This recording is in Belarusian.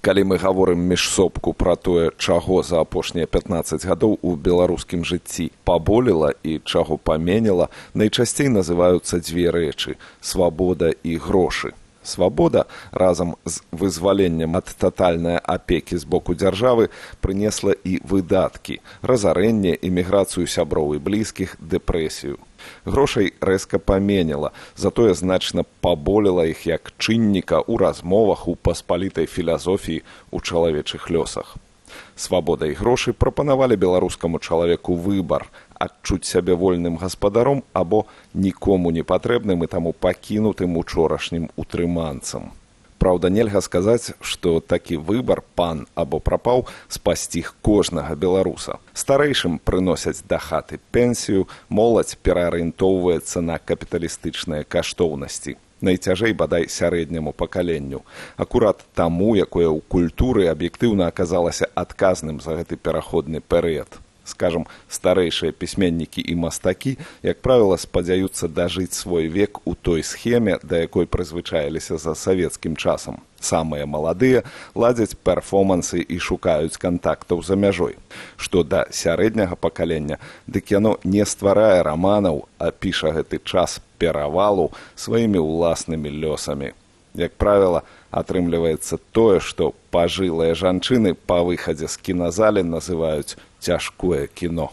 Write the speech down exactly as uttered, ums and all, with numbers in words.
Калі мы гаворым міжсобку пра тое, чаго за апошнія пятнаццаць гадоў у беларускім жыцці паболела і чаго паменела, найчасцей называюцца дзве рэчы – свабода і грошы. Свабода разам з вызваленнем ад татальнай апекі з боку дзяржавы прынесла і выдаткі, разарэнне, эміграцыю сяброў і блізкіх, дэпрэсію. Грошай рэзка паменела, затое значна паболела іх як чынніка ў размовах у паспалітай філасофіі ў чалавечых лёсах. Свабода і грошы прапанавалі беларускаму чалавеку выбар – адчуць сябе вольным гаспадаром або нікому не патрэбным і таму пакінутым учорашнім утрыманцам. Праўда, нельга сказаць, што такі выбар, пан або прапаў, спасціг кожнага беларуса. Старэйшым прыносяць да хаты пенсію, моладзь пераарыентоўваецца на капіталістычныя каштоўнасці. Найцяжэй бадай сярэдняму пакаленню. Акурат таму, якое ў культуры аб'ектыўна аказалася адказным за гэты пераходны перыяд. Скажам, старэйшыя пісьменнікі і мастакі, як правіла, спадзяюцца дажыць свой век у той схеме, да якой прызвычаіліся за савецкім часам. Самыя маладыя ладзяць перфомансы і шукаюць кантактаў за мяжой. Што да сярэдняга пакалення, дык яно не стварае раманаў, а піша гэты час перавалу сваімі ўласнымі лёсамі. Як правіла, атрымліваецца тое, што пажылыя жанчыны па выхадзе з кіназалі называюць цяжкое кіно.